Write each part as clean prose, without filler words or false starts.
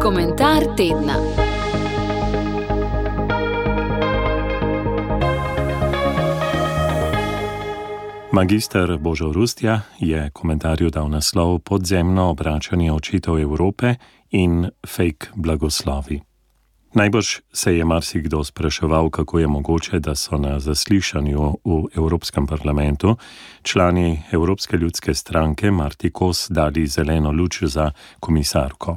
Komentar tedna. Magister Božo Rustja je komentarju dal naslov Podzemno obračanje očitov Evrope in fake blagoslovi. Najbrž se je marsikdo spraševal, kako je mogoče, da so na zaslišanju v Evropskem parlamentu člani Evropske ljudske stranke Marti Kos dali zeleno luč za komisarko.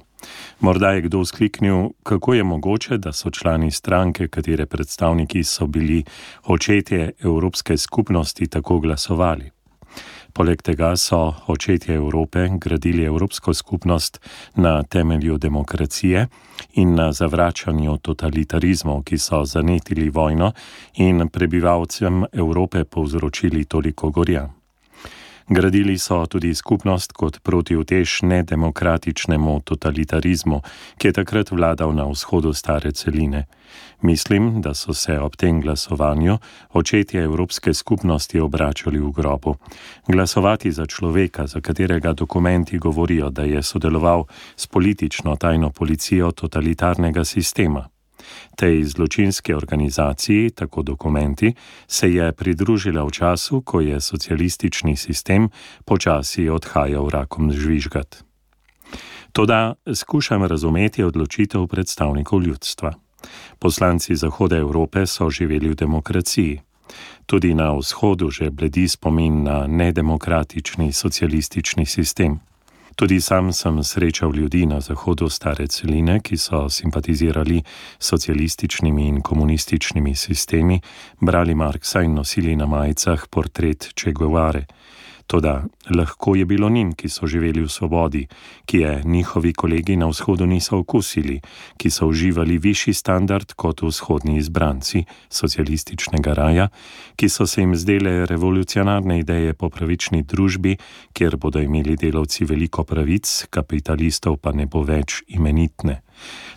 Morda je kdo vzkliknil, kako je mogoče, da so člani stranke, katere predstavniki so bili očetje Evropske skupnosti, tako glasovali. Poleg tega so očetje Evrope gradili Evropsko skupnost na temelju demokracije in na zavračanju totalitarizmov, ki so zanetili vojno in prebivalcem Evrope povzročili toliko gorja. Gradili so tudi skupnost kot protiutež nedemokratičnemu totalitarizmu, ki je takrat vladal na vzhodu stare celine. Mislim, da so se ob tem glasovanju očetje Evropske skupnosti obračali v grobu. Glasovati za človeka, za katerega dokumenti govorijo, da je sodeloval s politično tajno policijo totalitarnega sistema. Tej zločinski organizaciji, tako dokumenti, se je pridružila v času, ko je socialistični sistem počasi odhajal rakom žvižgat. Toda skušam razumeti odločitev predstavnikov ljudstva. Poslanci Zahoda Evrope so živeli v demokraciji. Tudi na vzhodu že bledi spomin na nedemokratični socialistični sistem. Tudi sam sem srečal ljudi na zahodu stare celine, ki so simpatizirali socialističnimi in komunističnimi sistemi, brali Marxa in nosili na majicah portret Che Guevare. Toda lahko je bilo njim, ki so živeli v svobodi, ki je njihovi kolegi na vzhodu niso okusili, ki so uživali višji standard kot vzhodni izbranci socialističnega raja, ki so se jim zdele revolucionarne ideje po pravični družbi, kjer bodo imeli delavci veliko pravic, kapitalistov pa ne bo več imenitne.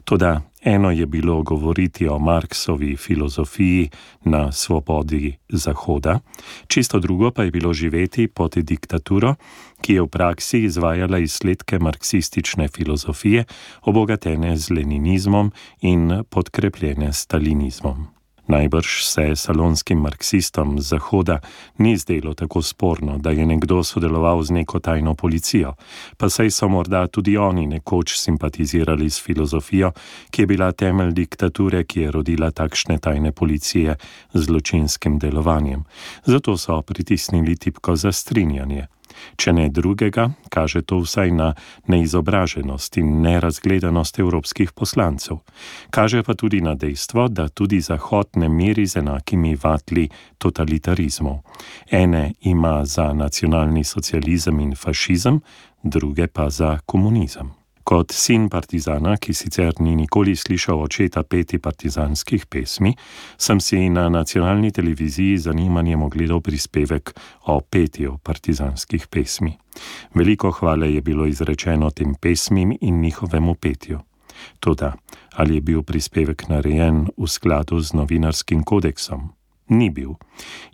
Toda eno je bilo govoriti o Marksovi filozofiji na svobodi Zahoda, čisto drugo pa je bilo živeti pod diktaturo, ki je v praksi izvajala izsledke marksistične filozofije, obogatene z leninizmom in podkrepljene stalinizmom. Najbrž se salonskim marksistom z Zahoda ni zdelo tako sporno, da je nekdo sodeloval z neko tajno policijo, pa saj so morda tudi oni nekoč simpatizirali s filozofijo, ki je bila temelj diktature, ki je rodila takšne tajne policije z zločinskim delovanjem. Zato so pritisnili tipko za strinjanje. Če ne drugega, kaže to vsaj na neizobraženost in nerazgledanost evropskih poslancev. Kaže pa tudi na dejstvo, da tudi Zahod ne meri z enakimi vatli totalitarizmov. Ene ima za nacionalni socializem in fašizem, druge pa za komunizem. Kot sin partizana, ki sicer ni nikoli slišal očeta peti partizanskih pesmi, sem si na nacionalni televiziji z zanimanjem ogledal prispevek o petju partizanskih pesmi. Veliko hvale je bilo izrečeno tem pesmim in njihovemu petju. Toda, ali je bil prispevek narejen v skladu z novinarskim kodeksom? Ni bil.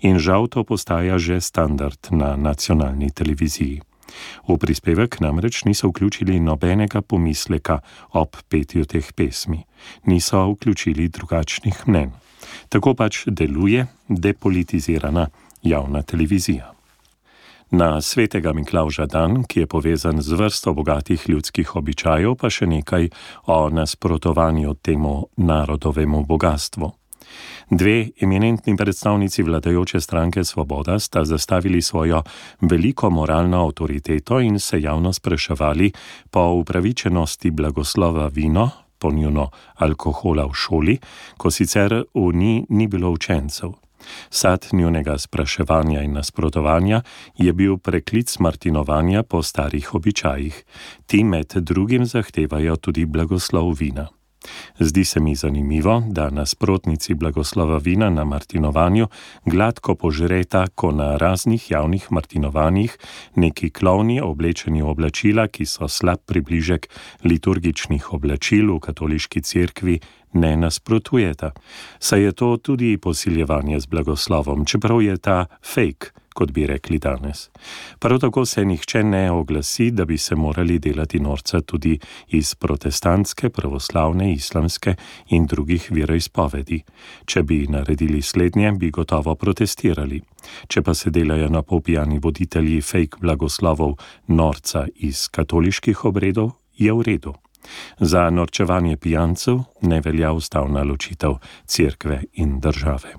In žal to postaja že standard na nacionalni televiziji. V prispevek namreč niso vključili nobenega pomisleka ob petju teh pesmi. Niso vključili drugačnih mnenj. Tako pač deluje depolitizirana javna televizija. Na svetega Miklavža dan, ki je povezan z vrsto bogatih ljudskih običajev, pa še nekaj o nasprotovanju temu narodovemu bogastvu. Dve eminentni predstavnici vladajoče stranke Svoboda sta zastavili svojo veliko moralno avtoriteto in se javno spraševali po upravičenosti blagoslova vino, po njuno alkohola v šoli, ko sicer v njej ni bilo učencev. Sad njunega spraševanja in nasprotovanja je bil preklic martinovanja po starih običajih. Ti med drugim zahtevajo tudi blagoslov vina. Zdi se mi zanimivo, da nasprotnici blagoslova vina na martinovanju gladko požreta, ko na raznih javnih martinovanjih neki klovni oblečeni v oblačila, ki so slab približek liturgičnih oblačil v katoliški cerkvi, ne nasprotujeta. Saj je to tudi posiljevanje z blagoslovom, čeprav je ta fake, kot bi rekli danes. Prav tako se nihče ne oglasi, da bi se morali delati norca tudi iz protestantske, pravoslavne, islamske in drugih veroizpovedi. Če bi naredili slednje, bi gotovo protestirali. Če pa se delajo na popijani voditelji fake blagoslovov norca iz katoliških obredov, je v redu. Za norčevanje pijancev ne velja ustavna ločitev cerkve in države.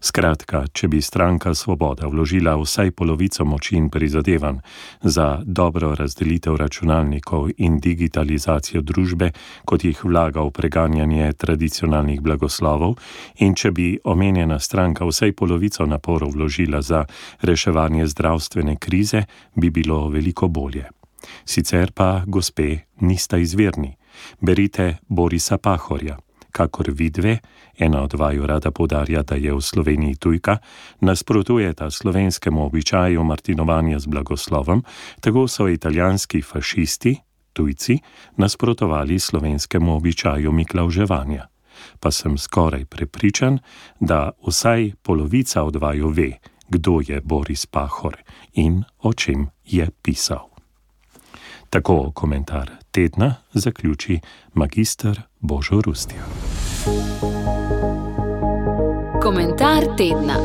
Skratka, če bi stranka Svoboda vložila vsaj polovico moči in prizadevanj za dobro razdelitev računalnikov in digitalizacijo družbe, kot jih vlaga v preganjanje tradicionalnih blagoslovov, in če bi omenjena stranka vsaj polovico naporov vložila za reševanje zdravstvene krize, bi bilo veliko bolje. Sicer pa, gospe, nista izvirni. Berite Borisa Pahorja. Kakor vidve, ena od vaju rada poudarja, da je v Sloveniji tujka, nasprotujeta slovenskemu običaju martinovanja z blagoslovom, tako so italijanski fašisti, tujci, nasprotovali slovenskemu običaju miklavževanja. Pa sem skoraj prepričan, da vsaj polovica od vaju ve, kdo je Boris Pahor in o čem je pisal. Tako komentar tedna zaključi magister Božo Rustja. Komentar tedna.